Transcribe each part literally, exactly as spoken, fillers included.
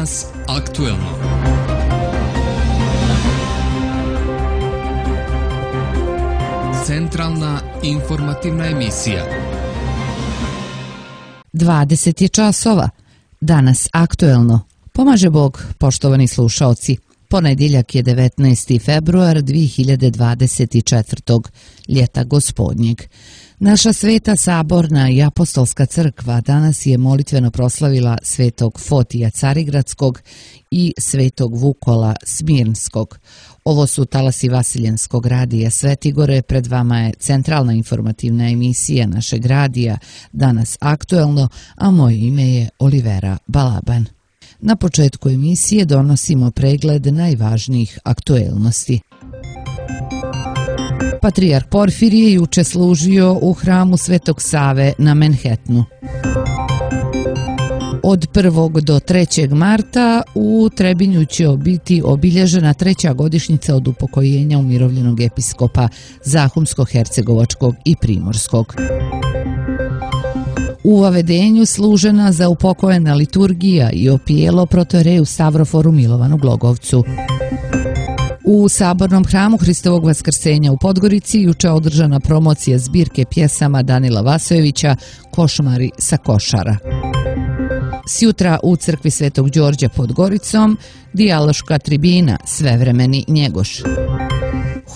Danas aktuelno. Centralna informativna emisija. dvadeset je časova. Danas aktuelno. Pomaže Bog, poštovani slušaoci. Ponedjeljak je devetnaesti februar dvije hiljade dvadeset četvrte. ljeta gospodnjeg. Naša sveta saborna i apostolska crkva danas je molitveno proslavila svetog Fotija Carigradskog i svetog Vukola Smirnskog. Ovo su talasi Vasiljenskog radija Svetigore, pred vama je centralna informativna emisija našeg radija, danas aktuelno, a moje ime je Olivera Balaban. Na početku emisije donosimo pregled najvažnijih aktuelnosti. Patrijarh Porfirije juče služio u hramu Svetog Save na Manhattanu. Od prvog do trećeg marta u Trebinju će biti obilježena treća godišnjica od upokojenja umirovljenog episkopa Zahumsko-hercegovačkog i Primorskog. U Vavedenju služena za upokojena liturgija i opijelo protoreju Stavroforu Milovanu Glogovcu. U Sabornom hramu Hristovog Vaskrsenja u Podgorici juče održana promocija zbirke pjesama Danila Vasojevića Košmari sa Košara. Sjutra u crkvi Svetog Đorđa pod Goricom dijaloška tribina Svevremeni Njegoš.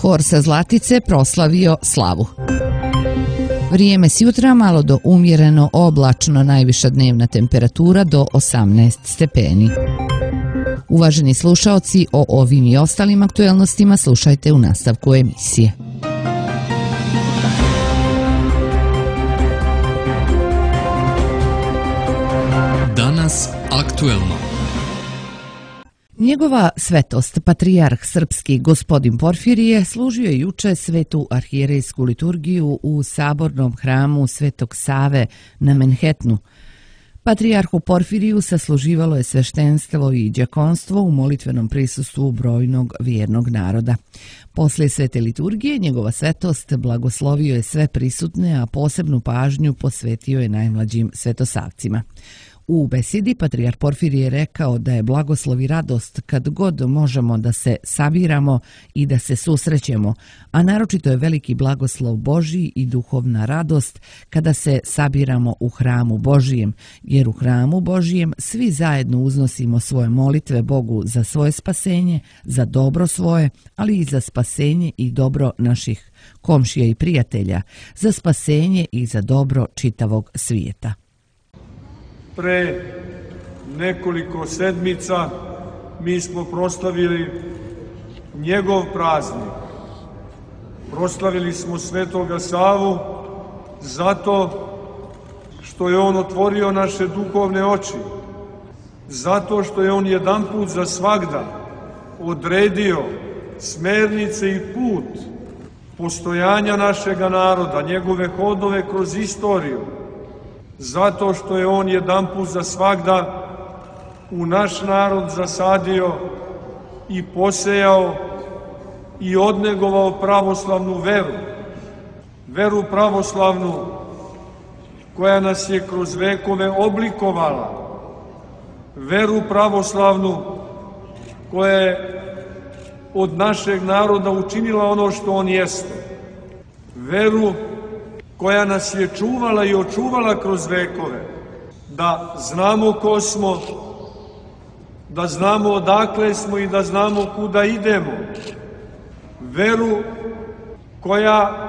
Hor sa Zlatice proslavio slavu. Vrijeme sjutra malo do umjereno oblačno, najviša dnevna temperatura do osamnaest stepeni. Uvaženi slušaoci, o ovim i ostalim aktuelnostima slušajte u nastavku emisije. Danas aktuelno. Njegova svetost, patrijarh srpski gospodin Porfirije, služio je juče svetu arhijerejsku liturgiju u Sabornom hramu Svetog Save na Manhattanu. Patrijarhu Porfiriju sasluživalo je sveštenstvo i đakonstvo u molitvenom prisustvu brojnog vjernog naroda. Poslije svete liturgije njegova svetost blagoslovio je sve prisutne, a posebnu pažnju posvetio je najmlađim svetosavcima. U besedi patrijarh Porfirije je rekao da je blagoslov i radost kad god možemo da se sabiramo i da se susrećemo, a naročito je veliki blagoslov Božji i duhovna radost kada se sabiramo u hramu Božijem, jer u hramu Božijem svi zajedno uznosimo svoje molitve Bogu za svoje spasenje, za dobro svoje, ali i za spasenje i dobro naših komšija i prijatelja, za spasenje i za dobro čitavog svijeta. Pre nekoliko sedmica mi smo proslavili njegov praznik. Proslavili smo Svetoga Savu zato što je on otvorio naše duhovne oči, zato što je on jedanput za svagda odredio smernice i put postojanja našega naroda, njegove hodove kroz istoriju, zato što je on jedanput za svagda u naš narod zasadio i posejao i odnegovao pravoslavnu veru. Veru pravoslavnu koja nas je kroz vekove oblikovala. Veru pravoslavnu koja je od našeg naroda učinila ono što on jeste. Veru koja nas je čuvala i očuvala kroz vekove, da znamo ko smo, da znamo odakle smo i da znamo kuda idemo. Veru koja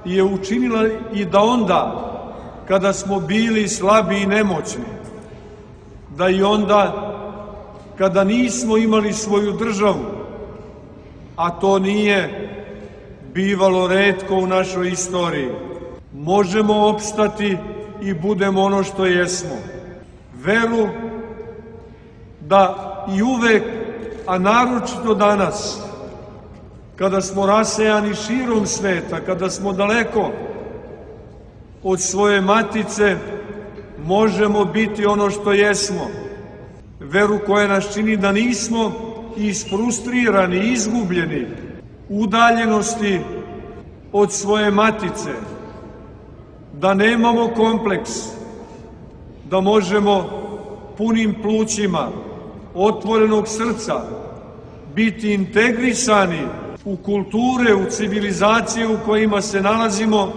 je učinila i da onda, kada smo bili slabi i nemoćni, da i onda, kada nismo imali svoju državu, a to nije bivalo retko u našoj istoriji, možemo opstati i budemo ono što jesmo. Veru da i uvek, a naročito danas, kada smo rasejani širom sveta, kada smo daleko od svoje matice, možemo biti ono što jesmo. Veru koja nas čini da nismo isfrustrirani, izgubljeni, udaljenosti od svoje matice, da nemamo kompleks, da možemo punim plućima otvorenog srca, biti integrisani u kulture, u civilizacije u kojima se nalazimo,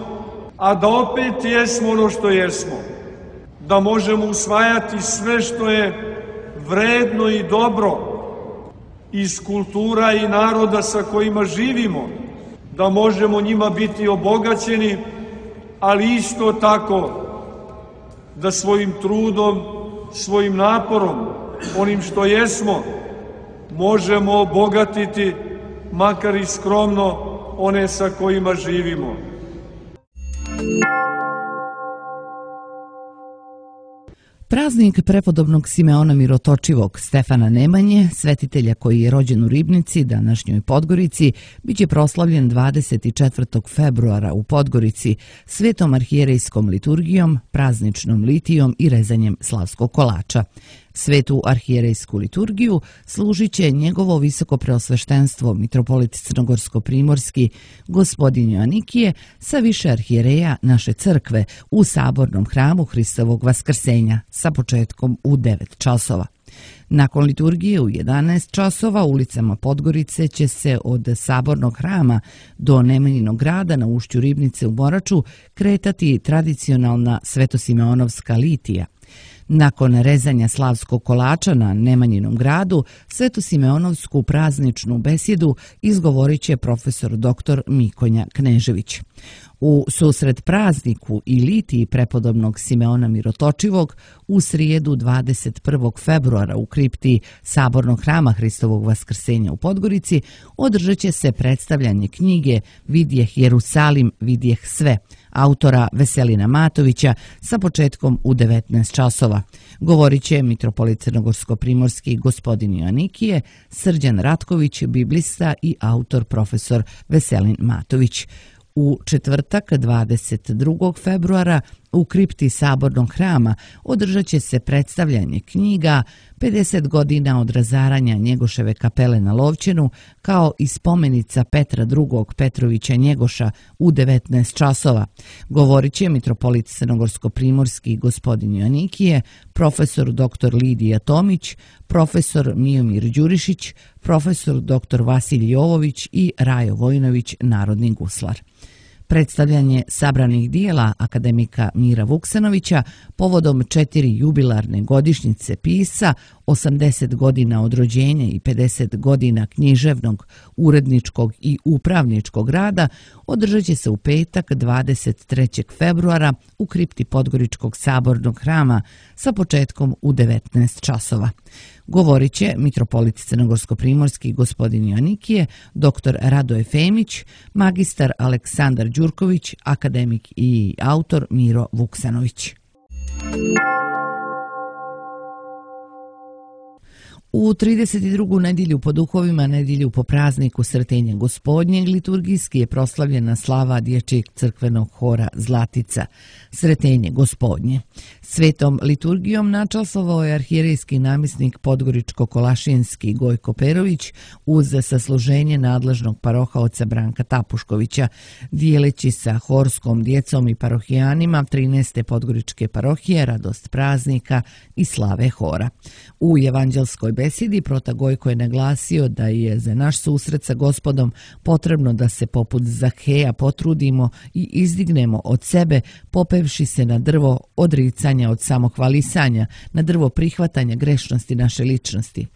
a da opet jesmo ono što jesmo. Da možemo usvajati sve što je vredno i dobro iz kultura i naroda sa kojima živimo, da možemo njima biti obogaćeni, ali isto tako da svojim trudom, svojim naporom, onim što jesmo, možemo obogatiti, makar i skromno, one sa kojima živimo. Praznik prepodobnog Simeona Mirotočivog Stefana Nemanje, svetitelja koji je rođen u Ribnici, današnjoj Podgorici, biće proslavljen dvadeset četvrtog februara u Podgorici svetom arhijerejskom liturgijom, prazničnom litijom i rezanjem slavskog kolača. Svetu arhijerejsku liturgiju služit će njegovo visoko preosveštenstvo mitropolit Crnogorsko-primorski gospodin Joanikije sa više arhijereja naše crkve u sabornom hramu Hristovog Vaskrsenja sa početkom u devet časova. Nakon liturgije u jedanaest časova ulicama Podgorice će se od sabornog hrama do Nemanjinog grada na ušću Ribnice u Moraču kretati tradicionalna svetosimeonovska litija. Nakon rezanja slavskog kolača na Nemanjinom gradu, svetosimeonovsku prazničnu besjedu izgovorit će profesor doktor Mikonja Knežević. U susret prazniku i litiji prepodobnog Simeona Mirotočivog u srijedu dvadeset prvog februara u kripti sabornog hrama Hristovog Vaskrsenja u Podgorici održat će se predstavljanje knjige Vidjeh Jerusalim, vidjeh sve, autora Veselina Matovića sa početkom u devetnaest časova. Govorit će mitropolit Crnogorsko-primorski gospodin Joanikije, Srđan Ratković, biblista i autor profesor Veselin Matović. U četvrtak dvadeset drugog februara u kripti sabornog hrama održat će se predstavljanje knjiga pedeset godina od razaranja Njegoševe kapele na Lovćenu kao i spomenica Petra drugog Petrovića Njegoša u devetnaest časova. Govorit će mitropolit Crnogorsko-primorski gospodin Joanikije, profesor doktor Lidija Tomić, profesor Mijomir Đurišić, profesor doktor Vasilij Jovović i Rajo Vojnović, narodni guslar. Predstavljanje sabranih dijela akademika Mira Vuksanovića povodom četiri jubilarne godišnjice pisca, osamdeset godina od rođenja i pedeset godina književnog, uredničkog i upravničkog rada održat će se u petak dvadeset trećeg februara u kripti Podgoričkog sabornog hrama sa početkom u devetnaest časova. Govorit će mitropolit Crnogorsko-primorski gospodin Joanikije, doktor Radoje Femić, magistar Aleksandar Đurković, akademik i autor Miro Vuksanović. U trideset drugu nedjelju po duhovima, nedjelju po prazniku Sretenja Gospodnjeg, liturgijski je proslavljena slava dječjeg crkvenog hora Zlatica, Sretenje Gospodnje. Svetom liturgijom načastvovao je arhijerejski namjesnik Podgoričko-Kolašinski Gojko Perović uz sasluženje nadležnog parohaoca Branka Tapuškovića, dijeleći sa horskom djecom i parohijanima trinaeste Podgoričke parohije radost praznika i slave hora. U evanđelskoj besedi prota Gojko je naglasio da je za naš susret sa Gospodom potrebno da se poput Zaheja potrudimo i izdignemo od sebe, popevši se na drvo odricanja od samohvalisanja, na drvo prihvatanja grešnosti naše ličnosti.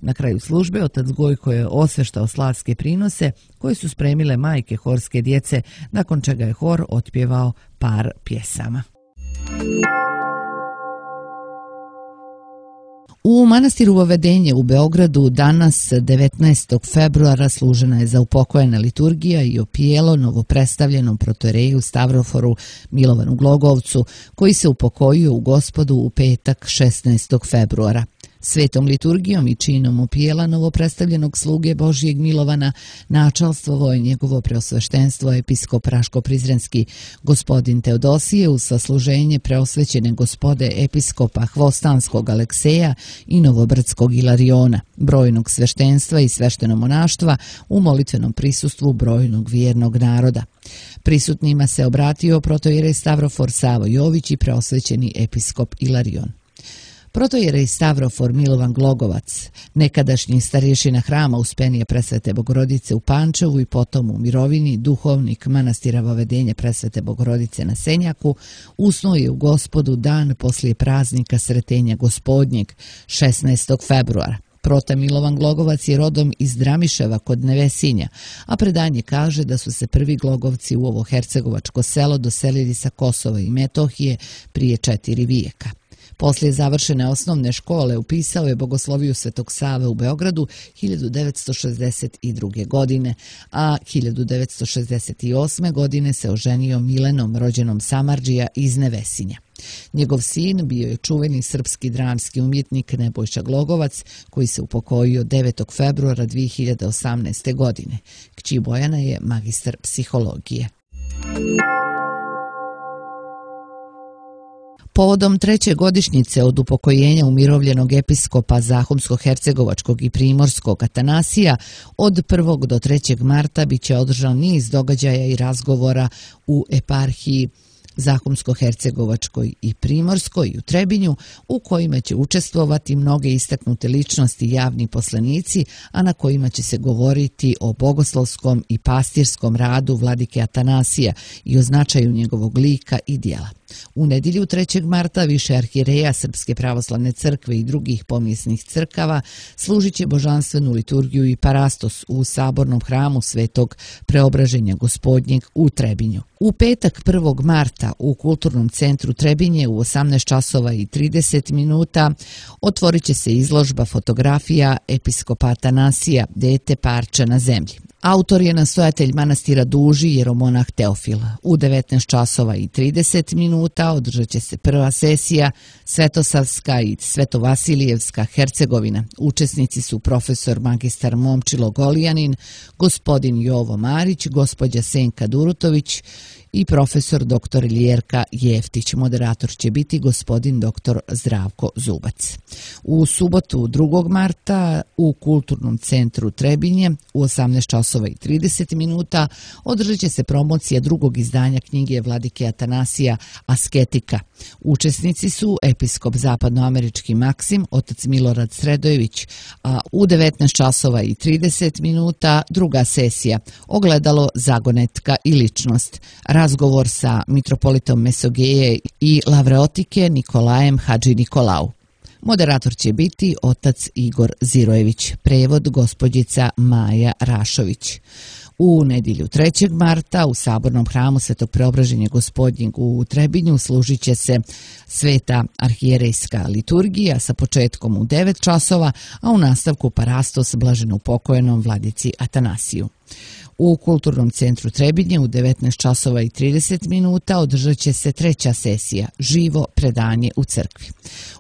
Na kraju službe otac Gojko je osveštao slavske prinose koje su spremile majke horske djece, nakon čega je hor otpjevao par pjesama. U manastiru Vavedenje u Beogradu danas devetnaestog februara služena je zaupokojena liturgija i opijelo novopredstavljenom protoreju Stavroforu Milovanu Glogovcu, koji se upokojio u Gospodu u petak šesnaestog februara. Svetom liturgijom i činom opijela novopredstavljenog sluge Božijeg Milovana načalstvovao je njegovo preosveštenstvo episkop Raško-Prizrenski gospodin Teodosije uz sasluženje preosvećene gospode episkopa Hvostanskog Alekseja i Novobrdskog Ilariona, brojnog sveštenstva i sveštenomonaštva u molitvenom prisustvu brojnog vjernog naroda. Prisutnima se obratio protoijerej Stavrofor Savo Jović i preosvećeni episkop Ilarion. Protojerej Stavrofor Milovan Glogovac, nekadašnji starješina hrama Uspenije Presvete Bogorodice u Pančevu i potom u mirovini, duhovnik manastira Vavedenje Presvete Bogorodice na Senjaku, usnuo je u Gospodu dan poslije praznika Sretenja Gospodnjeg, šesnaestog februara. Prote Milovan Glogovac je rodom iz Dramiševa kod Nevesinja, a predanje kaže da su se prvi Glogovci u ovo hercegovačko selo doselili sa Kosova i Metohije prije četiri vijeka. Poslije završene osnovne škole upisao je Bogosloviju Svetog Save u Beogradu hiljadu devetsto šezdeset druge. godine, a hiljadu devetsto šezdeset osme. godine se oženio Milenom, rođenom Samardžija iz Nevesinja. Njegov sin bio je čuveni srpski dramski umjetnik Nebojša Glogovac, koji se upokojio devetog februara dvije hiljade osamnaeste. godine. Kći Bojana je magistar psihologije. Povodom treće godišnjice od upokojenja umirovljenog episkopa Zahumsko-hercegovačkog i primorskog Atanasija, od prvog do trećeg marta bit će održan niz događaja i razgovora u eparhiji Zahumsko-hercegovačkoj i primorskoj i u Trebinju, u kojima će učestvovati mnoge istaknute ličnosti i javni poslanici, a na kojima će se govoriti o bogoslovskom i pastirskom radu vladike Atanasija i o značaju njegovog lika i dijela. U nedjelju trećeg marta više arhijereja Srpske pravoslavne crkve i drugih pomjesnih crkava služit će božanstvenu liturgiju i parastos u sabornom hramu Svetog Preobraženja Gospodnjeg u Trebinju. U petak prvog marta u Kulturnom centru Trebinje u osamnaest časova i trideset minuta otvorit će se izložba fotografija episkopa Atanasija, dete parče na zemlji. Autor je nastojatelj manastira Duži, jeromonah Teofil. U devetnaest časova i trideset minuta održat će se prva sesija Svetosavska i Svetovasilijevska Hercegovina. Učesnici su profesor magistar Momčilo Golijanin, gospodin Jovo Marić, gospođa Senka Durutović i profesor doktor Ljerka Jeftić. Moderator će biti gospodin doktor Zdravko Zubac. U subotu drugog marta u Kulturnom centru Trebinje u osamnaest časova i trideset minuta održat će se promocija drugog izdanja knjige vladike Atanasija Asketika. Učesnici su episkop zapadnoamerički Maksim, otac Milorad Sredojević, a u devetnaest časova i trideset minuta druga sesija Ogledalo, zagonetka i ličnost. Razgovor sa mitropolitom Mesogeje i Lavreotike Nikolajem Hadži Nikolau. Moderator će biti otac Igor Zirojević, prevod gospođica Maja Rašović. U nedjelju trećeg marta u sabornom hramu Svetog Preobraženja Gospodnjeg u Trebinju služit će se sveta arhijerejska liturgija sa početkom u devet časova, a u nastavku parastos blaženoupokojenom vladici Atanasiju. U Kulturnom centru Trebinje u devetnaest časova i trideset minuta održat će se treća sesija Živo predanje u crkvi.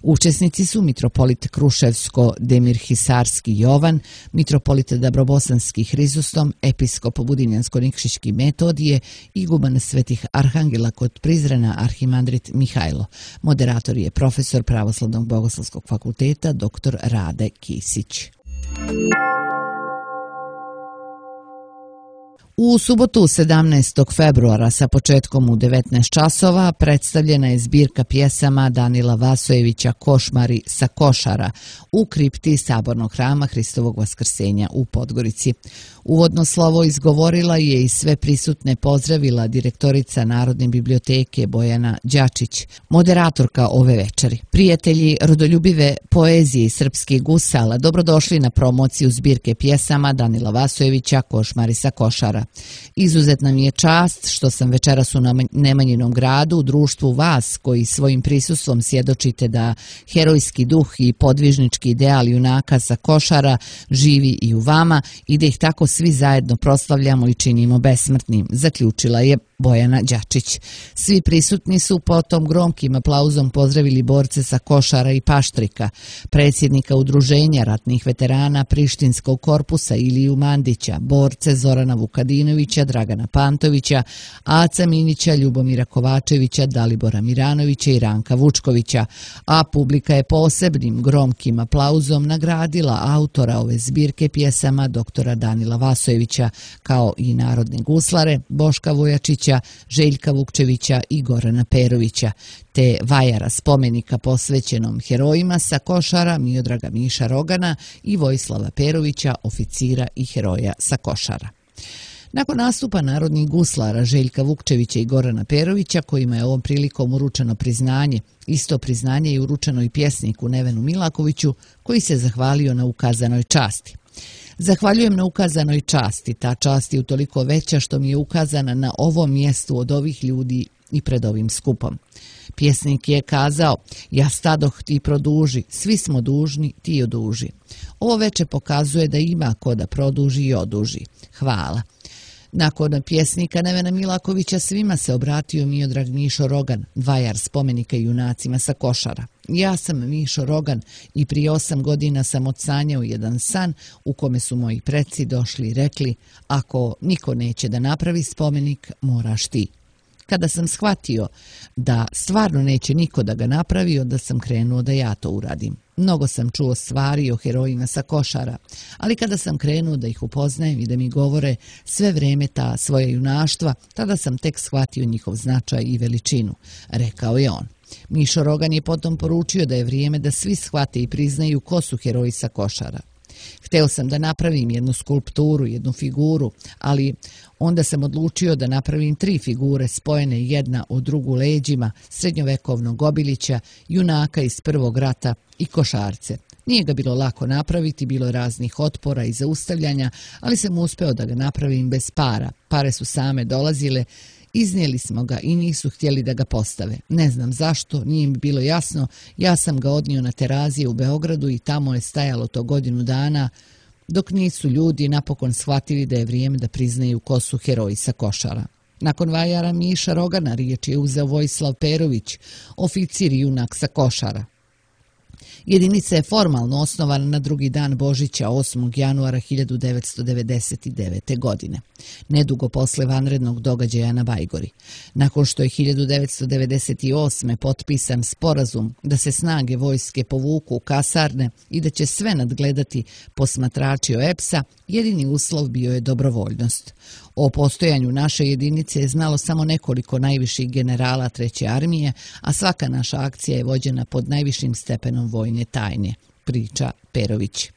Učesnici su mitropolit Kruševsko-Demirhisarski Jovan, mitropolit Dabrobosanski Hrizostom, episkop Budinjansko-Nikšićki Metodije, iguman Svetih Arhangela kod Prizrena arhimandrit Mihajlo. Moderator je profesor Pravoslavnog bogoslovskog fakulteta doktor Rade Kisić. U subotu sedamnaestog februara sa početkom u devetnaest časova predstavljena je zbirka pjesama Danila Vasojevića Košmari sa Košara u kripti sabornog hrama Hristovog Vaskrsenja u Podgorici. Uvodno slovo izgovorila je i sve prisutne pozdravila direktorica Narodne biblioteke Bojana Đačić, moderatorka ove večeri. Prijatelji rodoljubive poezije i srpskih gusala, dobrodošli na promociju zbirke pjesama Danila Vasojevića Košmari sa Košara. Izuzetna mi je čast što sam večeras u Nemanjinom gradu u društvu vas koji svojim prisustvom svjedočite da herojski duh i podvižnički ideal junaka sa Košara živi i u vama i da ih tako svi zajedno proslavljamo i činimo besmrtnim, zaključila je Bojana Đačić. Svi prisutni su potom gromkim aplauzom pozdravili borce sa Košara i Paštrika, predsjednika Udruženja ratnih veterana Prištinskog korpusa Iliju Mandića, borce Zorana Vukadinovića, Dragana Pantovića, Aca Minića, Ljubomira Kovačevića, Dalibora Miranovića i Ranka Vučkovića, a publika je posebnim gromkim aplauzom nagradila autora ove zbirke pjesama doktora Danila Vasojevića, kao i narodne guslare Boška Vojačića, Vukčevića, Željka Vukčevića i Gorana Perovića, te vajara spomenika posvećenom herojima sa Košara, Miodraga Miša Rogana i Vojislava Perovića, oficira i heroja sa Košara. Nakon nastupa narodnih guslara Željka Vukčevića i Gorana Perovića, kojima je ovom prilikom uručeno priznanje, isto priznanje je uručeno i pjesniku Nevenu Milakoviću, koji se zahvalio na ukazanoj časti. Zahvaljujem na ukazanoj časti, ta čast je utoliko veća što mi je ukazana na ovom mjestu od ovih ljudi i pred ovim skupom. Pjesnik je kazao, ja stadoh, ti produži, svi smo dužni, ti oduži. Ovo veče pokazuje da ima ko da produži i oduži. Hvala. Nakon pjesnika Nevena Milakovića svima se obratio Miodrag Mišo Rogan, vajar spomenika junacima sa Košara. Ja sam Mišo Rogan i prije osam godina sam odsanjao jedan san u kome su moji preci došli i rekli, ako niko neće da napravi spomenik, moraš ti. Kada sam shvatio da stvarno neće niko da ga napravi, onda sam krenuo da ja to uradim. Mnogo sam čuo stvari o herojima sa Košara, ali kada sam krenuo da ih upoznajem i da mi govore sve vreme ta svoja junaštva, tada sam tek shvatio njihov značaj i veličinu, rekao je on. Mišo Rogan je potom poručio da je vrijeme da svi shvate i priznaju ko su heroji sa Košara. Hteo sam da napravim jednu skulpturu, jednu figuru, ali onda sam odlučio da napravim tri figure spojene jedna u drugu leđima srednjovekovnog Obilića, junaka iz Prvog rata i Košarce. Nije ga bilo lako napraviti, bilo je raznih otpora i zaustavljanja, ali sam uspeo da ga napravim bez para. Pare su same dolazile, iznijeli smo ga i nisu htjeli da ga postave. Ne znam zašto, nije mi bilo jasno, ja sam ga odnio na Terazije u Beogradu i tamo je stajalo to godinu dana, dok nisu ljudi napokon shvatili da je vrijeme da priznaju ko su heroji sa Košara. Nakon vajara Miša Rogana riječ je uzeo Vojislav Perović, oficir i junak sa Košara. Jedinica je formalno osnovana na drugi dan Božića osmog januara hiljadu devetsto devedeset devete. godine, nedugo posle vanrednog događaja na Bajgori. Nakon što je hiljadu devetsto devedeset osme. potpisan sporazum da se snage vojske povuku u kasarne i da će sve nadgledati posmatrači O E P S-a, jedini uslov bio je dobrovoljnost. O postojanju naše jedinice je znalo samo nekoliko najviših generala Treće armije, a svaka naša akcija je vođena pod najvišim stepenom vojne tajne, priča Perović.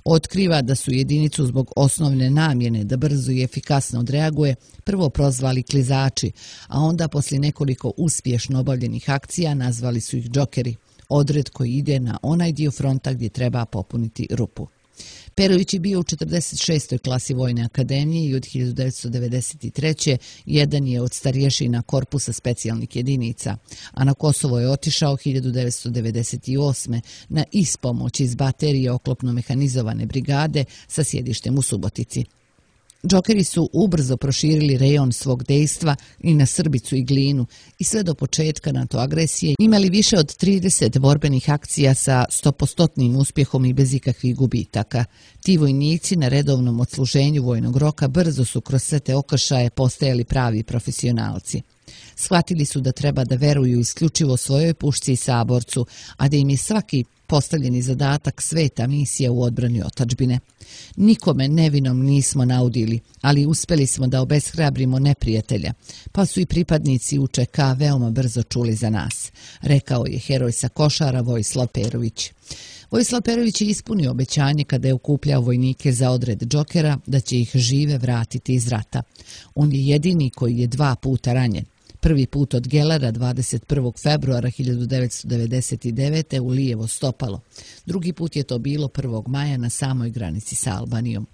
Otkriva da su jedinicu zbog osnovne namjene da brzo i efikasno odreaguje prvo prozvali klizači, a onda poslije nekoliko uspješno obavljenih akcija nazvali su ih džokeri, odred koji ide na onaj dio fronta gdje treba popuniti rupu. Perović je bio u četrdeset šestoj klasi Vojne akademije i od hiljadu devetsto devedeset treće. jedan je od starješina korpusa specijalnih jedinica, a na Kosovo je otišao hiljadu devetsto devedeset osme. na ispomoć iz baterije oklopno mehanizovane brigade sa sjedištem u Subotici. Džokeri su ubrzo proširili rejon svog dejstva i na Srbicu i Glinu i sve do početka NATO agresije imali više od trideset borbenih akcija sa stopostotnim uspjehom i bez ikakvih gubitaka. Ti vojnici na redovnom odsluženju vojnog roka brzo su kroz sve te okršaje postajali pravi profesionalci. Shvatili su da treba da veruju isključivo svojoj pušci i saborcu, a da im je svaki postavljeni zadatak sveta misija u odbrani otadžbine. Nikome nevinom nismo naudili, ali uspjeli smo da obeshrabrimo neprijatelja, pa su i pripadnici U Č K veoma brzo čuli za nas, rekao je heroj sa Košara Vojislav Perović. Vojislav Perović je ispunio obećanje kada je okupljao vojnike za odred džokera da će ih žive vratiti iz rata. On je jedini koji je dva puta ranjen. Prvi put od Gelera dvadeset prvog februara hiljadu devetsto devedeset devete. u lijevo stopalo. Drugi put je to bilo prvog maja na samoj granici sa Albanijom.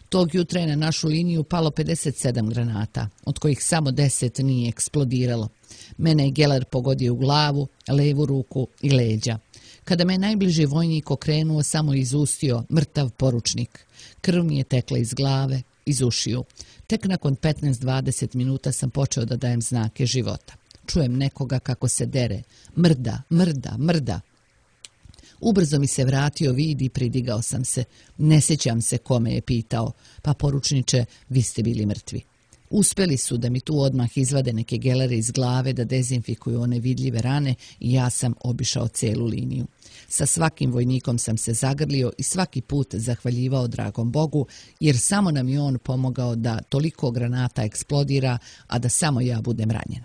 Tog jutra je na našu liniju palo pedeset sedam granata, od kojih samo deset nije eksplodiralo. Mene je Geler pogodio u glavu, levu ruku i leđa. Kada me najbliži vojnik okrenuo, samo izustio mrtav poručnik. Krv mi je tekla iz glave, iz ušiju. Tek nakon petnaest do dvadeset minuta sam počeo da dajem znake života. Čujem nekoga kako se dere. Mrda, mrda, mrda. Ubrzo mi se vratio vid i pridigao sam se. Ne sjećam se kome je pitao. Pa poručniče, vi ste bili mrtvi. Uspeli su da mi tu odmah izvade neke gelere iz glave, da dezinfikuju one vidljive rane i ja sam obišao celu liniju. Sa svakim vojnikom sam se zagrlio i svaki put zahvaljivao dragom Bogu, jer samo nam je on pomogao da toliko granata eksplodira, a da samo ja budem ranjen.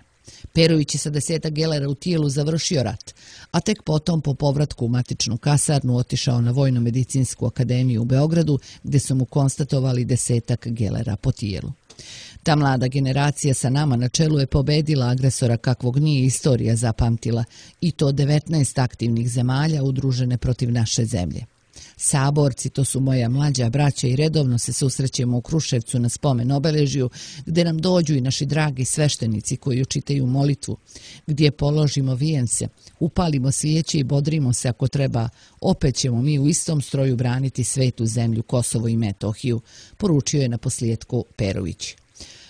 Perović je sa desetak gelera u tijelu završio rat, a tek potom po povratku u matičnu kasarnu otišao na Vojno-medicinsku akademiju u Beogradu, gdje su mu konstatovali desetak gelera po tijelu. Ta mlada generacija sa nama na čelu je pobedila agresora kakvog nije istorija zapamtila, i to devetnaest aktivnih zemalja udružene protiv naše zemlje. Saborci, to su moja mlađa braća i redovno se susrećemo u Kruševcu na spomen obeležju, gdje nam dođu i naši dragi sveštenici koji učitaju molitvu, gdje položimo vijence, upalimo svijeće i bodrimo se ako treba, opet ćemo mi u istom stroju braniti svetu zemlju Kosovo i Metohiju, poručio je na posljedku Perović.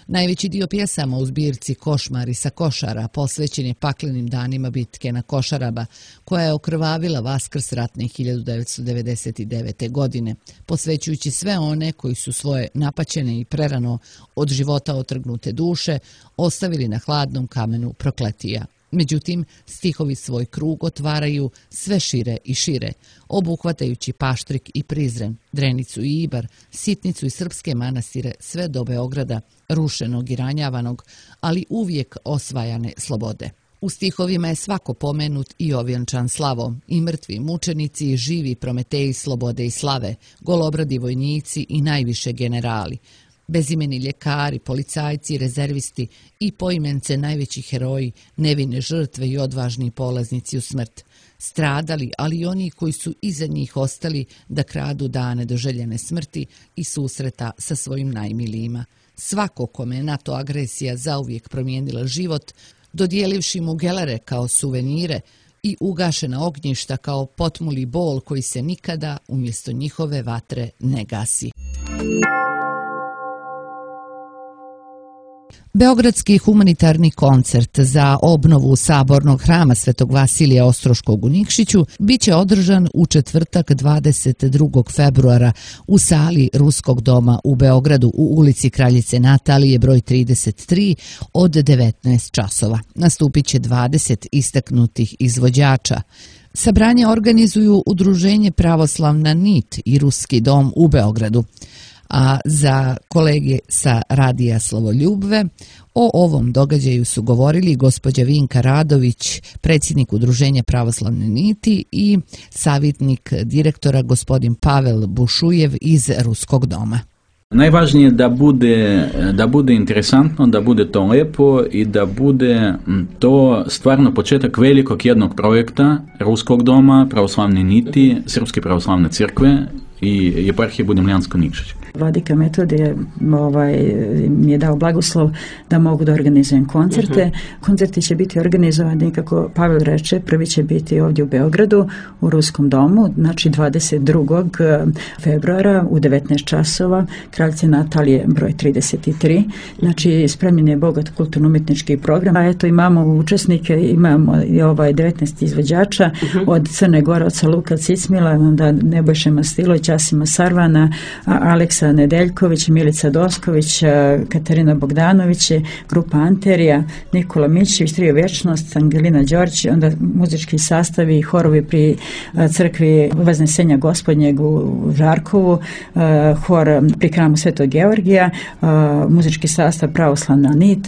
Najveći dio pjesama u zbirci Košmari sa Košara posvećen je paklenim danima bitke na Košarama, koja je okrvavila Vaskrs ratne hiljadu devetsto devedeset devete. godine, posvećujući sve one koji su svoje napaćene i prerano od života otrgnute duše ostavili na hladnom kamenu prokletija. Međutim, stihovi svoj krug otvaraju sve šire i šire, obuhvatajući Paštrik i Prizren, Drenicu i Ibar, Sitnicu i srpske manastire, sve do Beograda, rušenog i ranjavanog, ali uvijek osvajane slobode. U stihovima je svako pomenut i ovjenčan slavom, i mrtvi mučenici i živi prometeji slobode i slave, golobradi vojnici i najviše generali, bezimeni ljekari, policajci, rezervisti i poimence najveći heroji, nevine žrtve i odvažni polaznici u smrt. Stradali, ali i oni koji su iza njih ostali da kradu dane do željene smrti i susreta sa svojim najmilijima. Svako kome je NATO agresija zauvijek promijenila život, dodijelivši mu gelere kao suvenire i ugašena ognjišta kao potmuli bol koji se nikada umjesto njihove vatre ne gasi. Beogradski humanitarni koncert za obnovu sabornog hrama Svetog Vasilija Ostroškog u Nikšiću biće održan u četvrtak dvadeset drugog februara u sali Ruskog doma u Beogradu u ulici Kraljice Natalije broj trideset tri od devetnaest časova. Nastupit će dvadeset istaknutih izvođača. Sabranje organizuju Udruženje Pravoslavna nit i Ruski dom u Beogradu. A za kolege sa Radija Slovoljubve o ovom događaju su govorili gospođa Vinka Radović, predsjednik Udruženja Pravoslavne niti, i savjetnik direktora gospodin Pavel Bušujev iz Ruskog doma. Najvažnije je da bude, da bude interesantno, da bude to lepo i da bude to stvarno početak velikog jednog projekta Ruskog doma, Pravoslavne niti, Srpske pravoslavne crkve i Eparhije Budimljansko-Nikšić. Vladika Metodije ovaj, mi je dao blagoslov da mogu da organizujem koncerte. Uh-huh. Koncerti će biti organizovani, kako Pavel reče, prvi će biti ovdje u Beogradu, u Ruskom domu, znači dvadeset drugog februara u devetnaest časova, Kraljice Natalije broj trideset tri. Znači, spremljen je bogat kulturno-umjetnički program. A eto, imamo učesnike, imamo i ovaj devetnaest izvođača, uh-huh. od Crne Gore, oca Luka Cicmila, onda Nebojše Mastilović, Asima Sarvana, Aleksa Nedeljković, Milica Dosković, Katarina Bogdanović, grupa Anterija, Nikola Mićević, Trio Vječnost, Angelina Đorđe, onda muzički sastavi, horovi pri crkvi Vaznesenja Gospodnjeg u Žarkovu, hor pri hramu Svetog Georgija, muzički sastav Pravoslavna nit,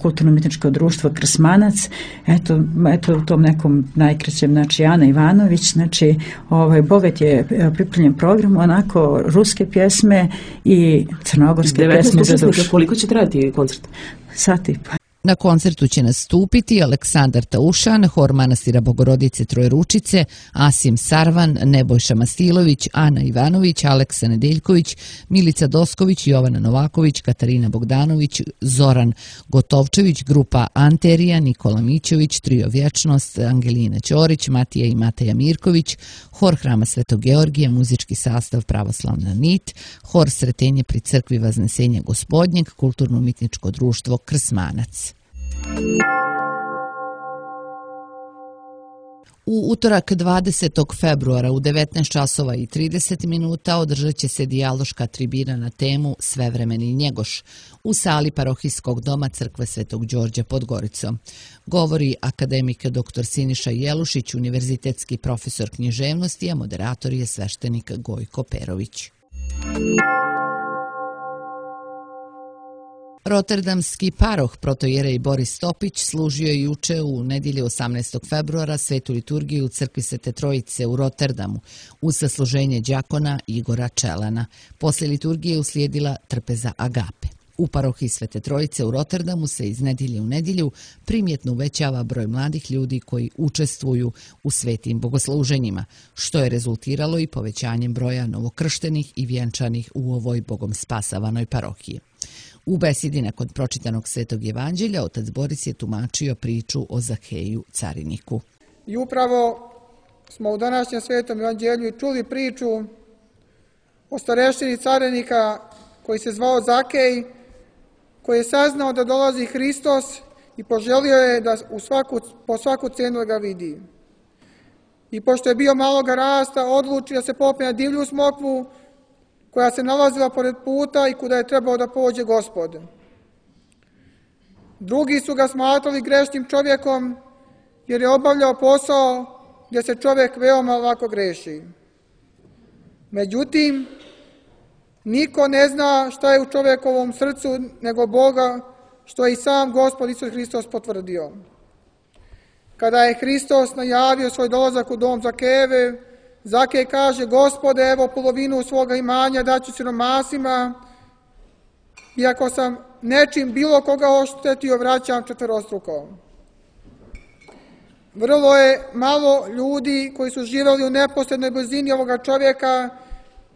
kulturno-umjetničko društvo Krsmanac, eto, eto u tom nekom najkraćem, znači Ana Ivanović, znači ovaj bogat je pripremljen program, onako ruske pjesme i crnogorske pjesme za dušu. Koliko će trajati koncert? Sat i pa. Na koncertu će nastupiti Aleksandar Taušan, hor manastira Bogorodice Trojeručice, Asim Sarvan, Nebojša Mastilović, Ana Ivanović, Aleksa Nedeljković, Milica Dosković, Jovana Novaković, Katarina Bogdanović, Zoran Gotovčević, grupa Anterija, Nikola Mićević, Trio Vječnost, Angelina Ćorić, Matija i Mateja Mirković, hor hrama Svetog Georgija, muzički sastav Pravoslavna nit, hor Sretenje pri crkvi Vaznesenja Gospodnjeg, kulturno-umjetničko društvo Krsmanac. U utorak dvadesetog februara u devetnaest časova i trideset minuta održat će se dijaloška tribina na temu Svevremeni Njegoš u sali parohijskog doma Crkve Svetog Đorđa pod Goricom. Govori akademik doktor Siniša Jelušić, univerzitetski profesor književnosti, a moderator je sveštenik Gojko Perović. Roterdamski paroh protojerej Boris Topić služio je juče u nedjelju osamnaestog februara svetu liturgiju u crkvi Svete Trojice u Rotterdamu uz sasluženje đakona Igora Čelana. Poslije liturgije uslijedila trpeza agape. U parohiji Svete Trojice u Rotterdamu se iz nedjelje u nedjelju primjetno uvećava broj mladih ljudi koji učestvuju u svetim bogosluženjima, što je rezultiralo i povećanjem broja novokrštenih i vjenčanih u ovoj bogom spasavanoj parohiji. U besedi nakon pročitanog Svetog evanđelja otac Boris je tumačio priču o Zakeju cariniku. I upravo smo u današnjem Svetom evanđelju čuli priču o starešini carinika koji se zvao Zakej, koji je saznao da dolazi Hristos i poželio je da u svaku, po svaku cenu ga vidi. I pošto je bio maloga rasta, odluči da se popne na divlju smokvu koja se nalazila pored puta i kuda je trebao da pođe Gospod. Drugi su ga smatrali grešnim čovjekom jer je obavljao posao gdje se čovjek veoma lako greši. Međutim, niko ne zna šta je u čovjekovom srcu nego Boga, što je i sam Gospod Isus Hristos potvrdio. Kada je Hristos najavio svoj dolazak u dom Zakejeve, Zakej kaže: Gospode, evo polovinu svoga imanja daću siromasima, iako sam nečim bilo koga oštetio, vraćam četverostruko. Vrlo je malo ljudi koji su živjeli u neposrednoj blizini ovoga čovjeka,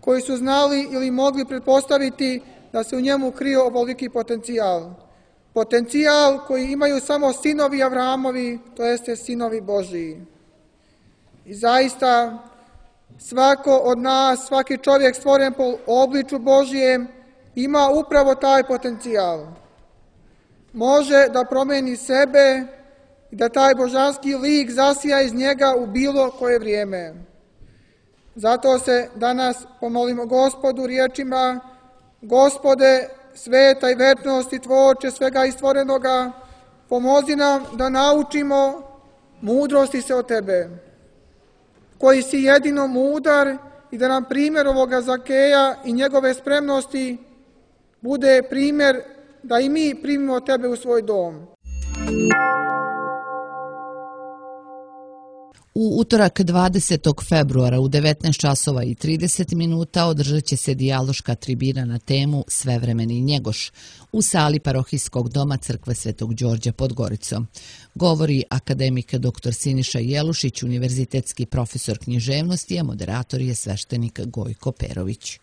koji su znali ili mogli pretpostaviti da se u njemu krio ovoliki potencijal. Potencijal koji imaju samo sinovi Avramovi, to jeste sinovi Božiji. I zaista, svako od nas, svaki čovjek stvoren po obliču Božijem, ima upravo taj potencijal. Može da promeni sebe i da taj božanski lik zasija iz njega u bilo koje vrijeme. Zato se danas pomolimo Gospodu riječima: Gospode, sveta i večnosti tvorče svega istvorenoga, pomozi nam da naučimo mudrosti se od Tebe, koji si jedino mudar, i da nam primjer ovoga Zakeja i njegove spremnosti bude primjer da i mi primimo Tebe u svoj dom. U utorak dvadesetog februara u devetnaest časova i trideset minuta održat će se dijaloška tribina na temu Svevremeni Njegoš u sali parohijskog doma Crkve Svetog Đorđa pod Goricom. Govori akademik doktor Siniša Jelušić, univerzitetski profesor književnosti, a moderator je sveštenik Gojko Perović.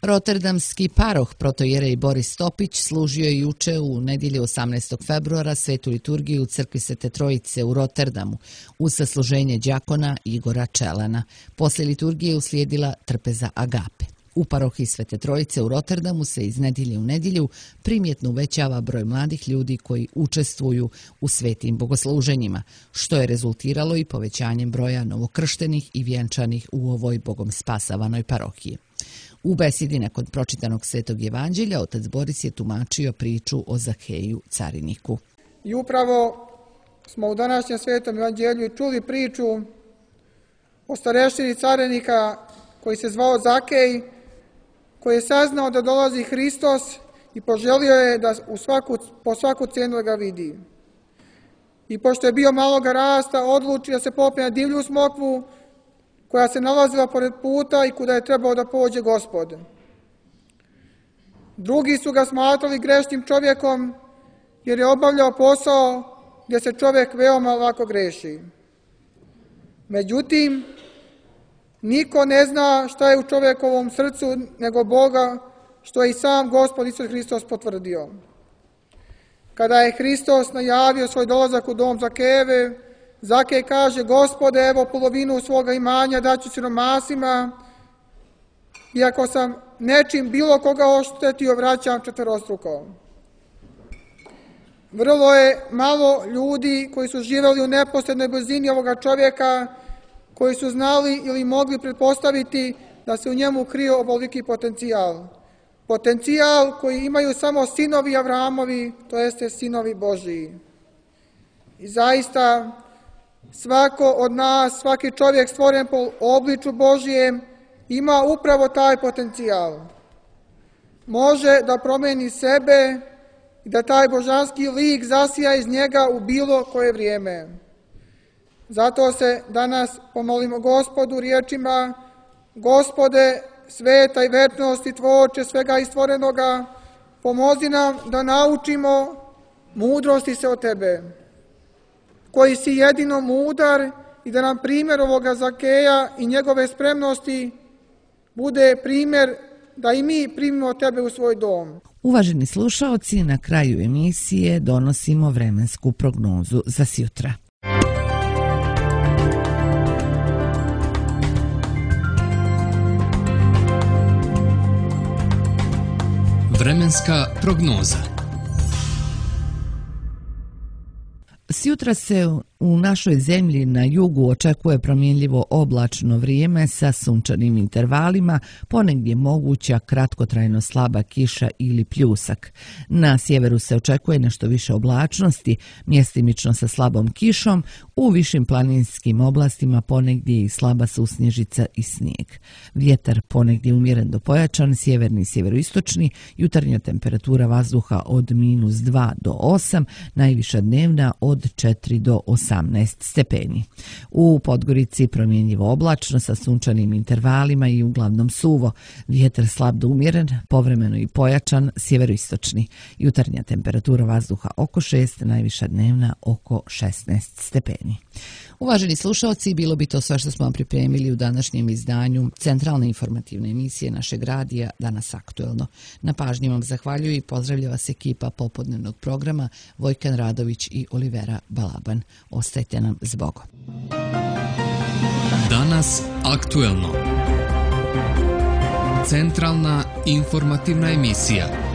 Roterdamski paroh protojerej Boris Topić služio je juče u nedjelju osamnaestog februara svetu liturgiju u crkvi Svete Trojice u Rotterdamu uz sasluženje đakona Igora Čelana. Poslije liturgije uslijedila trpeza agape. U parohiji Svete Trojice u Rotterdamu se iz nedjelje u nedjelju primjetno uvećava broj mladih ljudi koji učestvuju u svetim bogosluženjima, što je rezultiralo i povećanjem broja novokrštenih i vjenčanih u ovoj bogom spasavanoj parohiji. U besedi nakon pročitanog Svetog evanđelja otac Boris je tumačio priču o Zakeju cariniku. I upravo smo u današnjem Svetom evanđelju čuli priču o starešini carinika koji se zvao Zakej, koji je saznao da dolazi Hristos i poželio je da u svaku, po svaku cenu ga vidi. I pošto je bio maloga rasta, odluči da se popne na divlju smokvu koja se nalazila pored puta i kuda je trebao da pođe Gospod. Drugi su ga smatrali grešnim čovjekom jer je obavljao posao gdje se čovjek veoma lako greši. Međutim, niko ne zna šta je u čovjekovom srcu nego Boga, što je i sam Gospod Isus Hristos potvrdio. Kada je Hristos najavio svoj dolazak u dom Zakejeve, Zakej kaže: Gospode, evo polovinu svoga imanja daću siromasima, iako sam nečim bilo koga oštetio, vraćam četverostruko. Vrlo je malo ljudi koji su živjeli u neposrednoj blizini ovoga čovjeka, koji su znali ili mogli pretpostaviti da se u njemu krio ovoliki potencijal. Potencijal koji imaju samo sinovi Avramovi, to jeste sinovi Božiji. I zaista svako od nas, svaki čovjek stvoren po obliču Božijem, ima upravo taj potencijal. Može da promeni sebe i da taj božanski lik zasija iz njega u bilo koje vrijeme. Zato se danas pomolimo Gospodu riječima: Gospode, sveta i večnosti tvorče svega istvorenoga, pomozi nam da naučimo mudrosti se od Tebe, koji si jedino mudar, i da nam primjer ovoga Zakeja i njegove spremnosti bude primjer da i mi primimo Tebe u svoj dom. Uvaženi slušaoci, na kraju emisije donosimo vremensku prognozu za sjutra. Vremenska prognoza. Sjutra se u našoj zemlji na jugu očekuje promjenljivo oblačno vrijeme sa sunčanim intervalima, ponegdje moguća kratkotrajno slaba kiša ili pljusak. Na sjeveru se očekuje nešto više oblačnosti, mjestimično sa slabom kišom, u višim planinskim oblastima ponegdje i slaba susnježica i snijeg. Vjetar ponegdje umjeren do pojačan, sjeverni i sjeveroistočni, jutarnja temperatura vazduha od minus dva do osam, najviša dnevna od četiri do osamnaest stepeni. U Podgorici promjenjivo oblačno sa sunčanim intervalima i uglavnom suvo. Vjetar slab do umjeren, povremeno i pojačan, sjeveroistočni. Jutarnja temperatura vazduha oko šest, najviša dnevna oko šesnaest stepeni. Uvaženi slušalci, bilo bi to sve što smo vam pripremili u današnjem izdanju centralne informativne emisije našeg radija Danas aktuelno. Na pažnji vam zahvaljuju i pozdravlja vas ekipa popodnevnog programa Vojkan Radović i Olivera Balaban. Ostajte nam s Bogom. Danas aktuelno. Centralna informativna emisija.